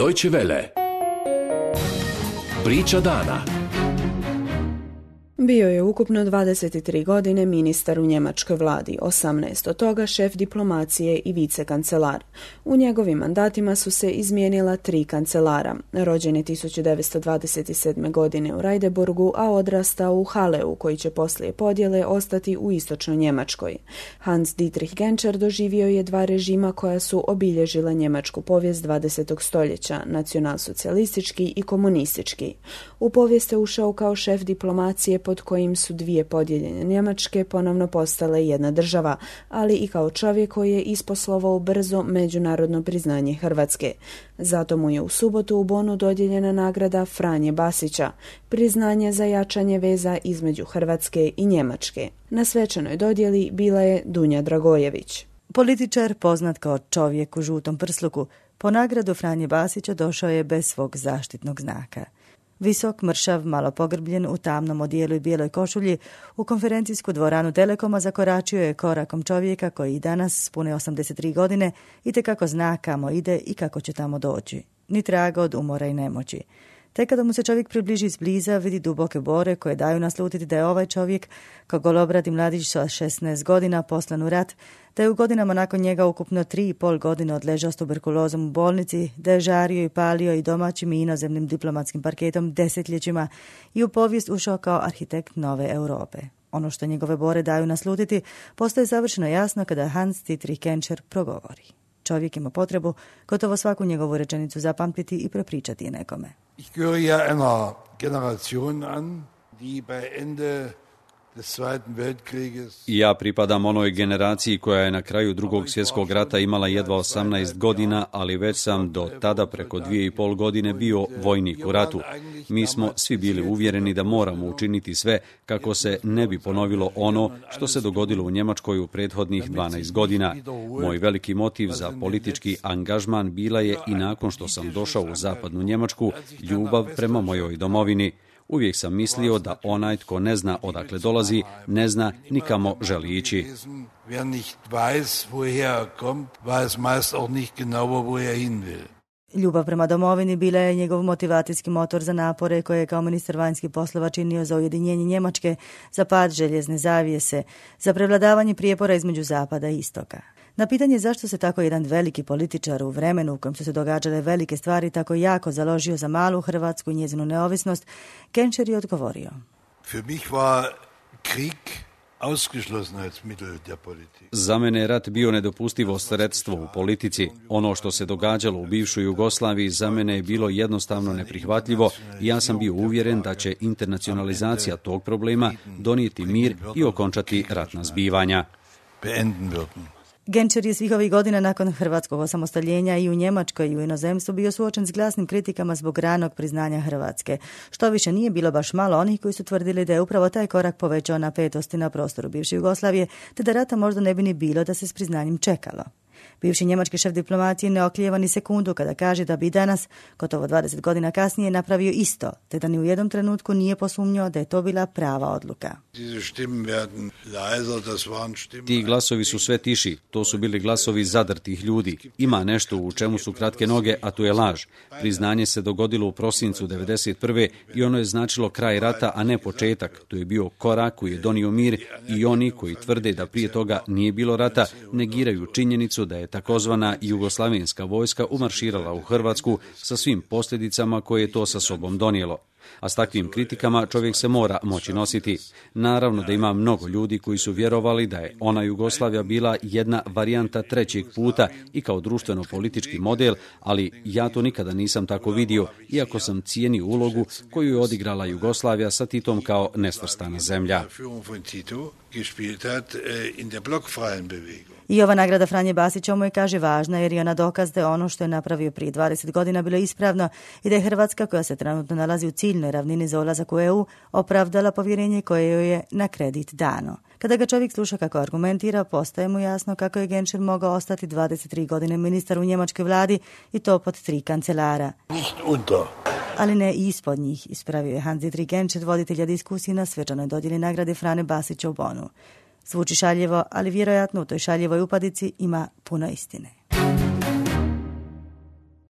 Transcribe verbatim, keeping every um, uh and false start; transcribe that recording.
Deutsche Welle. Priča dana. Bio je ukupno dvadeset tri godine ministar u njemačkoj vladi, osamnaest od toga šef diplomacije i vicekancelar. U njegovim mandatima su se izmijenila tri kancelara. Rođen je tisuću devetsto dvadeset sedme. godine u Rajdeburgu, a odrastao u Haleu, koji će poslije podjele ostati u istočnoj Njemačkoj. Hans Dietrich Genscher doživio je dva režima koja su obilježila njemačku povijest dvadesetog stoljeća, nacionalsocijalistički i komunistički. U povijest je ušao kao šef diplomacije pod kojim su dvije podijeljene Njemačke ponovno postale jedna država, ali i kao čovjek koji je isposlovao brzo međunarodno priznanje Hrvatske. Zato mu je u subotu u Bonu dodijeljena nagrada Franje Basića, priznanje za jačanje veza između Hrvatske i Njemačke. Na svečanoj dodjeli bila je Dunja Dragojević. Političar poznat kao čovjek u žutom prsluku, po nagradu Franje Basića došao je bez svog zaštitnog znaka. Visok, mršav, malo pogrbljen, u tamnom odijelu i bijeloj košulji, u konferencijsku dvoranu Telekoma zakoračio je korakom čovjeka koji i danas, s pune osamdeset tri godine, itekako zna kamo ide i kako će tamo doći. Ni traga od umora i nemoći. Tek kada mu se čovjek približi izbliza, vidi duboke bore koje daju naslutiti da je ovaj čovjek, kao golobradi mladić sa šesnaest godina poslan u rat, da je u godinama nakon njega ukupno tri i pol godine odležao s tuberkulozom u bolnici, da je žario i palio i domaćim i inozemnim diplomatskim parketom desetljećima i u povijest ušao kao arhitekt nove Europe. Ono što njegove bore daju naslutiti postaje savršeno jasno kada Hans Dietrich Genscher progovori. Čovjek ima potrebu gotovo svaku njegovu rečenicu zapamtiti i prepričati je nekome. Ich gehöre ja einer Generation an, die bei Ende des Zweiten Weltkrieges. Ja pripadam onoj generaciji koja je na kraju drugog svjetskog rata imala jedva osamnaest godina, ali već sam do tada preko dvije i pol godine bio vojnik u ratu. Mi smo svi bili uvjereni da moramo učiniti sve kako se ne bi ponovilo ono što se dogodilo u Njemačkoj u prethodnih dvanaest godina. Moj veliki motiv za politički angažman bila je i nakon što sam došao u zapadnu Njemačku, ljubav prema mojoj domovini. Uvijek sam mislio da onaj tko ne zna odakle dolazi, ne zna nikamo želi ići. Ljubav prema domovini bila je njegov motivacijski motor za napore koje je kao ministar vanjskih poslova činio za ujedinjenje Njemačke, za pad željezne zavjese, za prevladavanje prijepora između zapada i istoka. Na pitanje zašto se tako jedan veliki političar u vremenu u kojem su se događale velike stvari tako jako založio za malu Hrvatsku i njezinu neovisnost, Genscher je odgovorio. Für mich war Krieg ausgeschlossenheitsmittel der Politik. Za mene je rat bio nedopustivo sredstvo u politici. Ono što se događalo u bivšoj Jugoslaviji za mene je bilo jednostavno neprihvatljivo i ja sam bio uvjeren da će internacionalizacija tog problema donijeti mir i okončati ratna zbivanja. Beenden würden. Genscher je svih ovih godina nakon hrvatskog osamostaljenja i u Njemačkoj i u inozemstvu bio suočen s glasnim kritikama zbog ranog priznanja Hrvatske. Što više nije bilo baš malo onih koji su tvrdili da je upravo taj korak povećao napetosti na prostoru bivše Jugoslavije, te da rata možda ne bi ni bilo da se s priznanjem čekalo. Bivši njemački šef diplomacije ne oklijeva ni sekundu kada kaže da bi danas, gotovo dvadeset godina kasnije, napravio isto, te da ni u jednom trenutku nije posumnjao da je to bila prava odluka. Ti glasovi su sve tiši, to su bili glasovi zadrtih ljudi. Ima nešto u čemu su kratke noge, a to je laž. Priznanje se dogodilo u prosincu devedeset prve i ono je značilo kraj rata, a ne početak. To je bio korak koji je donio mir i oni koji tvrde da prije toga nije bilo rata, negiraju činjenicu da je takozvana jugoslavenska vojska umarširala u Hrvatsku sa svim posljedicama koje je to sa sobom donijelo. A s takvim kritikama čovjek se mora moći nositi. Naravno da ima mnogo ljudi koji su vjerovali da je ona Jugoslavija bila jedna varijanta trećeg puta i kao društveno-politički model, ali ja to nikada nisam tako vidio, iako sam cijenio ulogu koju je odigrala Jugoslavija sa Titom kao nesvrstana zemlja. I ova nagrada Franje Basića mu je, kaže, važna jer je ona dokaz da je ono što je napravio prije dvadeset godina bilo ispravno i da je Hrvatska, koja se trenutno nalazi u ciljnoj ravnini za ulazak u E U, opravdala povjerenje koje joj je na kredit dano. Kada ga čovjek sluša kako argumentira, postaje mu jasno kako je Genscher mogao ostati dvadeset tri godine ministar u njemačkoj vladi i to pod tri kancelara. Ali ne i ispod njih, ispravio je Hans Dietrich Genscher, voditelja diskusije na svečanoj dodjeli nagrade Franje Basića u Bonu. Zvuči šaljivo, ali vjerojatno u toj šaljivoj upadici ima puno istine.